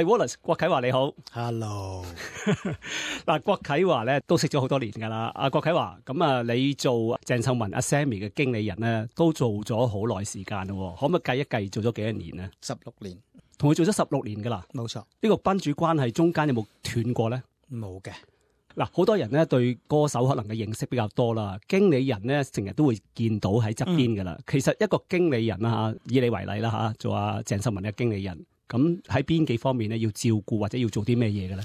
Wallace 郭啟華你好 ，Hello。嗱，郭啟華咧都識咗好多年㗎啦。阿郭啟華，咁啊，你做鄭秀文阿 Sammy 嘅經理人咧，都做咗好耐時間咯。可唔可以計一計做咗幾多年咧？16年，同佢做咗16年㗎啦。冇錯。呢個賓主關係中間有冇斷過咧？冇嘅。嗱，好多人咧對歌手可能嘅認識比較多啦，經理人咧成日都會見到喺側邊㗎啦。其實一個經理人啦嚇，以你為例啦嚇，做阿鄭秀文嘅經理人。咁喺邊幾方面咧要照顧或者要做啲咩嘢嘅咧？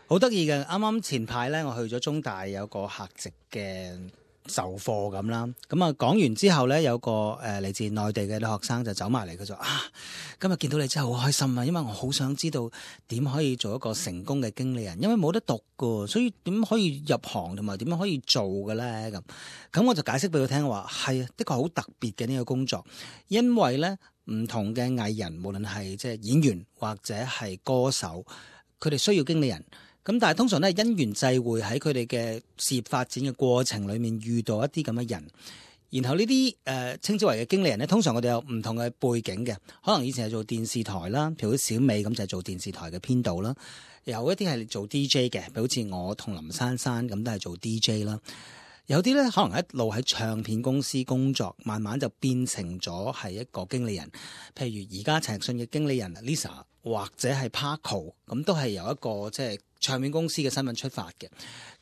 好得意嘅，啱啱前排咧，我去咗中大有個客席嘅授課咁啦。咁啊講完之後咧，有個嚟自內地嘅女學生就走埋嚟，佢就今日見到你真係好開心啊！因為我好想知道點可以做一個成功嘅經理人，因為冇得讀噶，所以點可以入行同埋點樣可以做嘅咧？咁我就解釋俾佢聽話，係啊，的確好特別嘅呢個工作，因為咧。唔同嘅藝人，無論係即係演員或者係歌手，佢哋需要經理人。咁但係通常咧因緣際會喺佢哋嘅事業發展嘅過程裏面遇到一啲咁嘅人，然後呢啲稱之為嘅經理人咧，通常我哋有唔同嘅背景嘅，可能以前係做電視台啦，譬如小美咁就係做電視台嘅編導啦，有一啲係做 DJ 嘅，譬如好似我同林珊珊咁都係做 DJ 啦。有啲咧可能一路喺唱片公司工作，慢慢就變成咗係一個經理人。譬如而家陳奕迅嘅經理人 Lisa 或者係 Paco， 咁都係由一個即係唱片公司嘅身份出發嘅。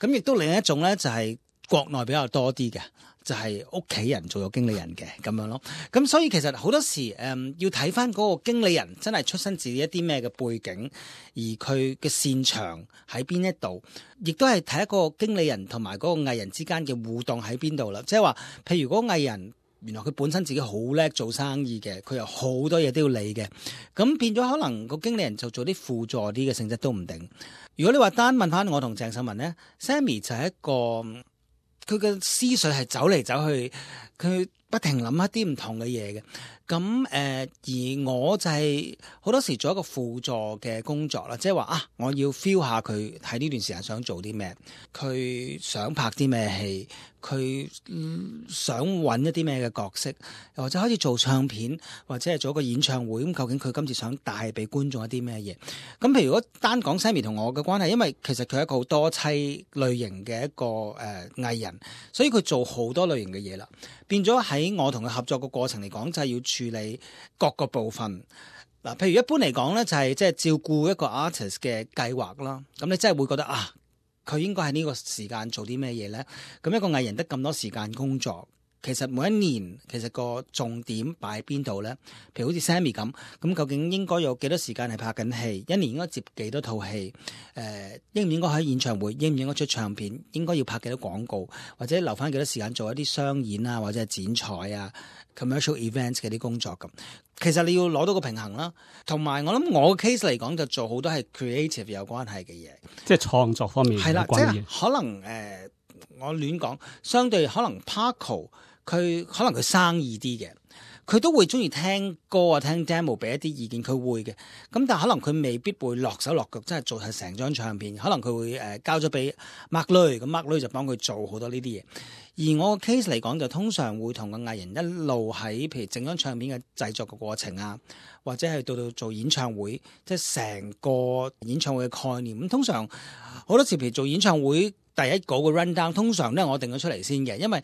咁亦都另一種咧就係國內比較多啲嘅，就係屋企人做咗經理人嘅咁樣咯。咁所以其實好多時要睇翻嗰個經理人真係出身自一啲咩嘅背景，而佢嘅擅長喺邊一度，亦都係睇一個經理人同埋嗰個藝人之間嘅互動喺邊度啦。即係話，譬如嗰個藝人原來佢本身自己好叻做生意嘅，佢有好多嘢都要理嘅，咁變咗可能個經理人就做啲輔助啲嘅性質都唔定。如果你話單問翻我同鄭秀文呢， Sammy 就係一個。佢嘅思緒係走嚟走去，佢不停諗一啲唔同嘅嘢嘅。咁而我就係好多時做一個輔助嘅工作啦，即係話我要 feel 下佢喺呢段時間想做啲咩，佢想拍啲咩戲，佢想揾一啲咩嘅角色，又或者開始做唱片，或者係做一個演唱會。咁究竟佢今次想帶俾觀眾一啲咩嘢？咁譬如如果單講 Sammy 同我嘅關係，因為其實佢係一個好多棲類型嘅一個藝人，所以佢做好多類型嘅嘢啦，變咗喺我同佢合作嘅過程嚟講，就係要處理各個部分。嗱，譬如一般嚟講咧，就係即係照顧一個 artist 嘅計劃啦。咁你真係會覺得佢應該喺呢個時間做啲咩嘢咧？咁一個藝人得咁多時間工作，其實每一年其實個重點擺喺邊度咧？譬如好似 Sammy 咁究竟應該有幾多時間係拍緊戲？一年應該接幾多套戲？應唔應該喺演唱會？應唔應該出唱片？應該要拍幾多廣告？或者留翻幾多時間做一啲商演啊，或者係剪彩啊？commercial events 嘅啲工作咁，其實你要攞到個平衡啦。同埋我諗我嘅 case 嚟講，就做好多係 creative 有關係嘅嘢，即係創作方面係啦，即係可能我亂講，相對可能 Paco 佢可能佢生意啲嘅，佢都會中意聽歌啊，聽 demo 俾一啲意見，佢會嘅。咁但係可能佢未必會落手落腳，真係做係成張唱片。可能佢會交咗俾 Mark Lui，咁 Mark Lui 就幫佢做好多呢啲嘢。而我個 case 嚟講，就通常會同個藝人一路喺譬如整張唱片嘅製作嘅過程啊，或者係到做演唱會，即係成個演唱會嘅概念。咁通常好多時譬如做演唱會第一個 run down， 通常都係我定咗出嚟先嘅，因為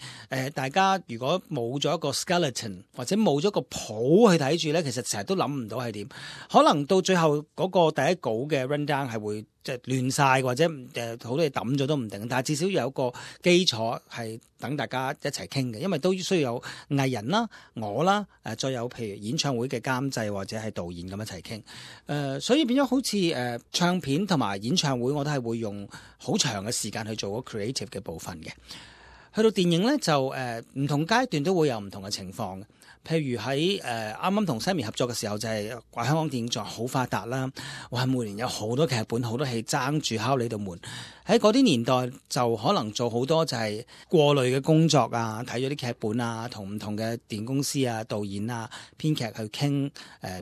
大家如果冇咗一個 skeleton 或者冇咗個譜去睇住咧，其實成日都諗唔到係點。可能到最後嗰個第一稿嘅 run down 係會即係亂晒，或者好多嘢抌咗都唔定。但係至少有一個基礎係等大家一齊傾嘅，因為都需要有藝人啦、我啦，再有譬如演唱會嘅監製或者係導演咁一齊傾。所以變咗好似唱片同埋演唱會，我都係會用好長嘅時間去做個 creative 嘅部分嘅。去到電影咧就唔同階段都會有唔同嘅情況嘅。譬如喺啱啱同 Sammy 合作嘅時候，就係香港電影作好發達啦，哇！每年有好多劇本、好多戲爭住敲你度門。喺嗰啲年代就可能做好多就係過濾嘅工作啊，睇咗啲劇本啊，同唔同嘅電影公司啊、導演啊、編劇去傾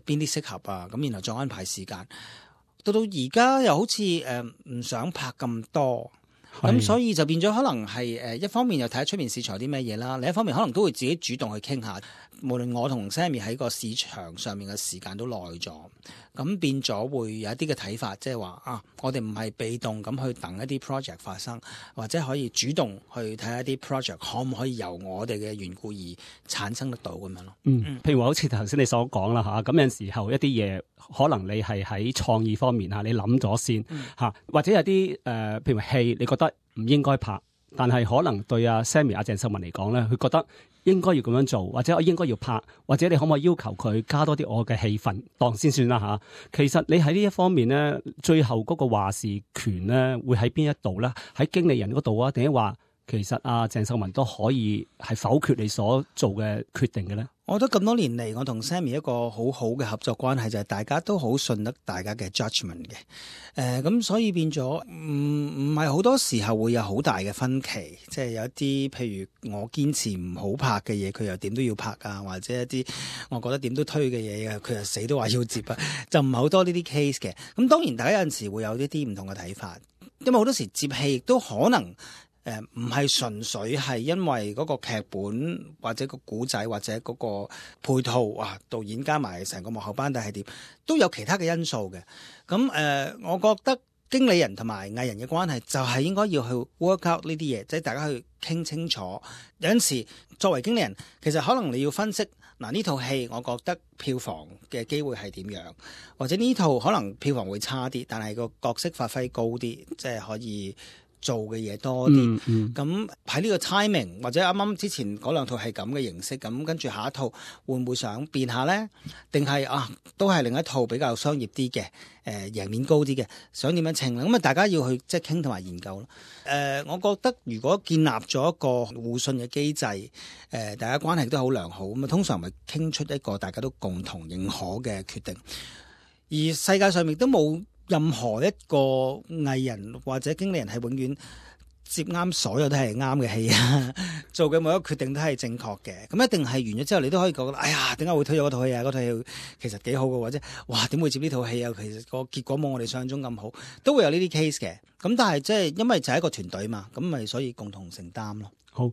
邊啲適合啊，咁然後再安排時間。到而家又好似唔想拍咁多。咁所以就變咗可能係一方面又睇下出面市場有啲咩嘢啦，另一方面可能都會自己主動去傾下。無論我同 Sammy 喺個市場上面嘅時間都耐咗，咁變咗會有一啲嘅睇法，即係話啊，我哋唔係被動咁去等一啲 project 發生，或者可以主動去睇下啲 project 可唔可以由我哋嘅緣故而產生得到咁樣咯。譬如話好似頭先你所講啦嚇，咁有陣時候一啲嘢可能你係喺創意方面嚇，你諗咗先嚇，或者有啲譬如戲你覺得唔應該拍，但係可能對阿 Sammy 阿鄭秀文嚟講咧，佢覺得應該要咁樣做，或者我應該要拍，或者你可唔可以要求佢加多啲我嘅戲份當先算啦嚇。其實你喺呢一方面咧，最後嗰個話事權咧會喺邊一度咧？喺經理人嗰度啊，定係話其實阿鄭秀文都可以係否決你所做嘅決定嘅咧？我覺得咁多年嚟，我同 Sammy 一個好好嘅合作關係就係大家都好信得大家嘅 judgment 嘅。咁所以變咗唔係好多時候會有好大嘅分歧，即係有一啲譬如我堅持唔好拍嘅嘢，佢又點都要拍啊，或者一啲我覺得點都推嘅嘢啊，佢又死都話要接啊，就唔係好多呢啲 case 嘅。咁當然大家有陣時會有呢啲唔同嘅睇法，因為好多時接戲亦都可能。唔係純粹係因為嗰個劇本或者個古仔或者嗰個配套導演加埋成個幕後班底係點，都有其他嘅因素嘅。咁我覺得經理人同埋藝人嘅關係就係應該要去 work out 呢啲嘢，即係大家去傾清楚。有陣時作為經理人，其實可能你要分析呢套戲，我覺得票房嘅機會係點樣，或者呢套可能票房會差啲，但係個角色發揮高啲，即係可以做嘅嘢多啲，咁喺呢個 timing 或者啱啱之前嗰兩套係咁嘅形式，咁跟住下一套會唔會想變下呢？定係都係另一套比較商業啲嘅，贏面高啲嘅，想點樣稱咧？咁大家要去即係傾同埋研究咯。我覺得如果建立咗一個互信嘅機制，大家關係都好良好，咁通常咪傾出一個大家都共同認可嘅決定。而世界上面都冇任何一個藝人或者經理人係永遠接啱所有都係啱嘅戲啊，做嘅每一個決定都係正確嘅。咁一定係完咗之後，你都可以覺得，哎呀，點解會推咗嗰套戲啊？嗰套戲其實幾好嘅，或者哇，點會接呢套戲啊？其實個結果冇我哋想象中咁好，都會有呢啲 case 嘅。咁但係即係因為就係一個團隊嘛，咁咪所以共同承擔咯。好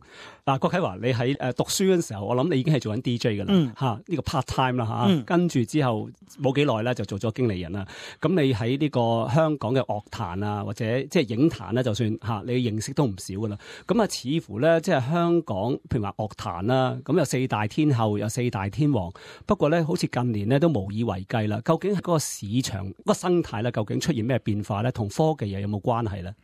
嗱，郭啟華，你喺讀書嗰陣時候，我諗你已經係做緊 DJ 噶啦，嚇呢個 part time 啦嚇，跟住之後冇幾耐咧就做咗經理人啦。咁你喺呢個香港嘅樂壇啊，或者即係影壇咧，就算嚇你認識都唔少噶啦。咁啊，似乎咧即係香港，譬如話樂壇啦，咁有四大天后，有四大天王。不過咧，好似近年咧都無以為繼啦。究竟係嗰個市場、嗰個生態咧，究竟出現咩變化咧？同科技又有冇關係咧？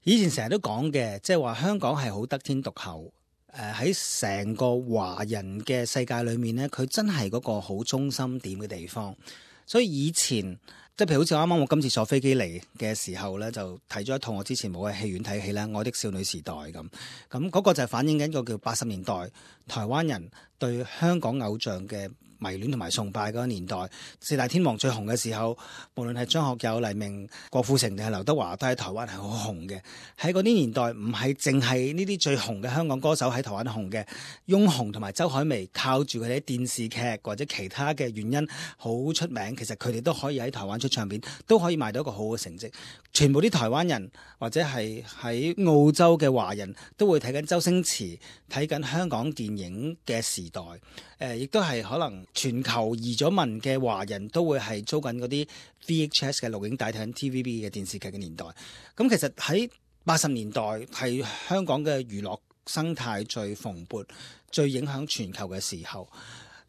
以前成日都講嘅，即係話香港係好得天獨厚。喺成個華人嘅世界裏面呢，佢真係嗰個好中心點嘅地方。所以以前即係譬如好似啱啱我今次坐飛機嚟嘅時候呢，就睇咗一套我之前冇喺戲院睇戲啦，《愛的少女時代》咁。咁嗰個就係反映緊個叫80年代台灣人對香港偶像嘅迷戀同埋崇拜嗰個年代，四大天王最紅嘅時候，無論係張學友、黎明、郭富城定係劉德華，都喺台灣係好紅嘅。喺嗰啲年代，唔係淨係呢啲最紅嘅香港歌手喺台灣紅嘅，翁虹同埋周海媚靠住佢哋啲電視劇或者其他嘅原因好出名，其實佢哋都可以喺台灣出唱片，都可以賣到一個好嘅成績。全部啲台灣人或者係喺澳洲嘅華人都會睇緊周星馳，睇緊香港電影嘅時代。亦都係可能全球移咗民嘅華人都會係租緊嗰啲 VHS 嘅錄影帶睇緊 TVB 嘅電視劇嘅年代。咁其實喺80年代係香港嘅娛樂生態最蓬勃、最影響全球嘅時候。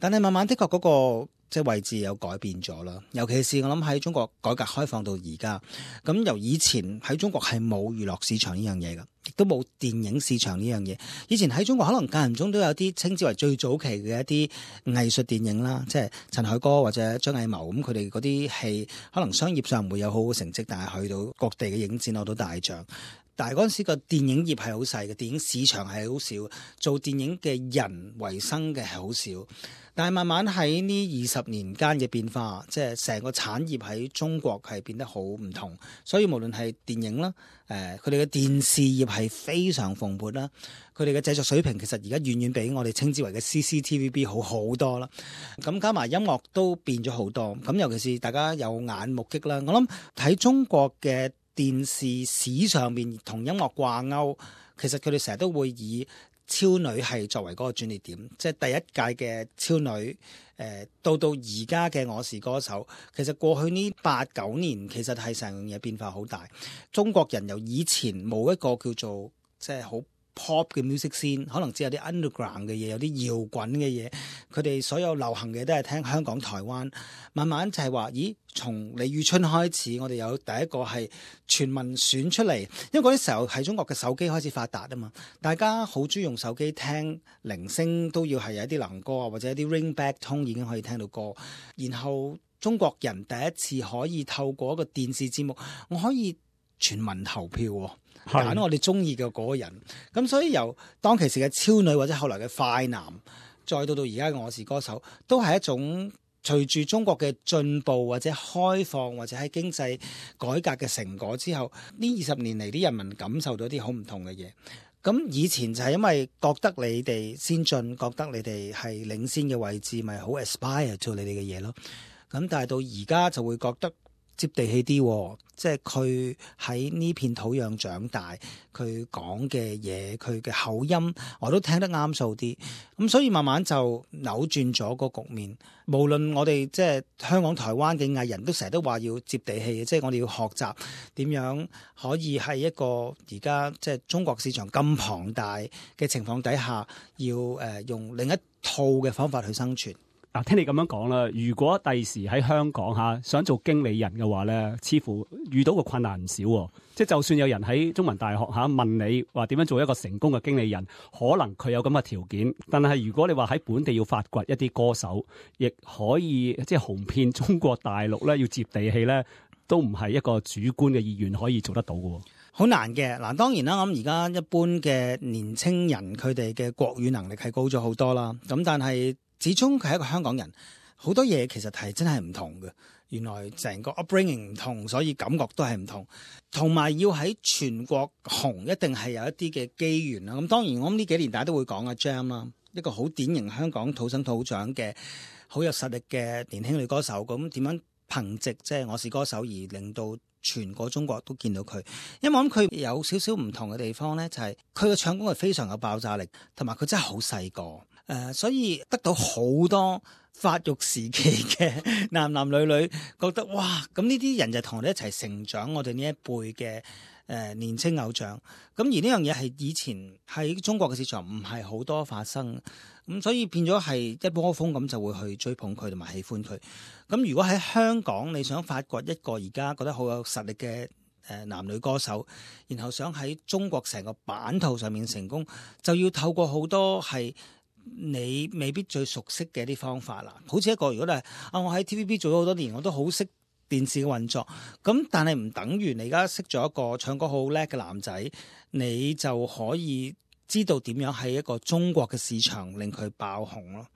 但係慢慢的確嗰個即係位置有改變咗啦。尤其是我諗喺中國改革開放到而家，咁由以前喺中國係冇娛樂市場呢樣嘢㗎，亦都冇電影市場呢樣嘢。以前喺中國可能間唔中都有啲稱之為最早期嘅一啲藝術電影啦，即係陳凱歌或者張藝謀咁，佢哋嗰啲戲可能商業上唔會有好好成績，但係去到各地嘅影展攞到大獎。但係嗰陣時個電影業係好細嘅，電影市場係好少，做電影嘅人為生嘅係好少。但係慢慢喺呢20年間嘅變化，即係成個產業喺中國係變得好唔同。所以無論係電影啦，佢哋嘅電視業係非常蓬勃啦，佢哋嘅製作水平其實而家遠遠比我哋稱之為嘅 CCTVB 好好多啦。咁加埋音樂都變咗好多。咁尤其是大家有眼目擊啦，我諗喺中國嘅電電視史上面同音樂掛鈎，其實佢哋成日都會以超女係作為嗰個轉捩點，即係第一屆嘅超女，到而家嘅我是歌手，其實過去呢8-9年其實係成樣嘢變化好大。中國人由以前冇一個叫做即係好pop 嘅 music scene，可能只有啲 underground 嘅嘢，有啲搖滾嘅嘢，佢哋所有流行嘅都係聽香港、台灣。慢慢就係話，咦？從李宇春開始，我哋有第一個係全民選出嚟，因為嗰啲時候係中國嘅手機開始發達啊嘛，大家好中意用手機聽鈴聲，都要係有一啲能歌啊，或者一啲 ringback tone 已經可以聽到歌。然後中國人第一次可以透過一個電視節目，我可以全民投票喎。揀我哋中意嘅嗰個人，咁所以由當其時嘅超女或者後來嘅快男，再到而家嘅我是歌手，都係一種隨住中國嘅進步或者開放或者喺經濟改革嘅成果之後，呢20年嚟啲人民感受到啲好唔同嘅嘢。咁以前就係因為覺得你哋先進，覺得你哋係領先嘅位置，咪好 aspire 做你哋嘅嘢咯。咁但係到而家就會覺得接地氣啲，即係佢喺呢片土壤長大，佢講嘅嘢，佢嘅口音我都聽得啱數啲，咁所以慢慢就扭轉咗個局面。無論我哋即係香港、台灣嘅藝人都成日都話要接地氣，即係我哋要學習點樣可以喺一個而家即係中國市場咁龐大嘅情況底下，要用另一套嘅方法去生存。嗱，聽你咁樣講啦，如果第時喺香港想做經理人嘅話咧，似乎遇到個困難唔少喎。即係就算有人喺中文大學問你話點樣做一個成功嘅經理人，可能佢有咁嘅條件，但係如果你話喺本地要發掘一啲歌手，亦可以即係紅遍中國大陸咧，要接地氣咧，都唔係一個主觀嘅意願可以做得到嘅。好難嘅。嗱，當然啦，咁而家一般嘅年青人佢哋嘅國語能力係高咗好多啦，咁但係始終佢係一個香港人，好多嘢其實係真係唔同嘅。原來成個 upbringing 唔同，所以感覺都係唔同。同埋要喺全國紅，一定係有一啲嘅機緣啦。咁當然我諗呢幾年大家都會講阿 Jam 啦，一個好典型香港土生土長嘅好有實力嘅年輕女歌手。咁點樣憑藉即係我是歌手而令到全個中國都見到佢？因為我諗佢有少少唔同嘅地方咧，就係佢嘅唱功係非常有爆炸力，同埋佢真係好細個。所以得到好多發育時期嘅男男女女覺得哇，咁呢啲人就同我哋一齊成長，我哋呢一輩嘅年青偶像。咁而呢樣嘢係以前喺中國嘅市場唔係好多發生，咁所以變咗係一窩蜂咁就會去追捧佢同埋喜歡佢。咁如果喺香港你想發掘一個而家覺得好有實力嘅男女歌手，然後想喺中國成個版圖上面成功，就要透過好多係你未必最熟悉嘅一啲方法啦。好似一個如果係我喺 TVB 做咗好多年，我都好識電視嘅運作，咁但係唔等於你而家識咗一個唱歌好叻嘅男仔，你就可以知道點樣喺一個中國嘅市場令佢爆紅咯。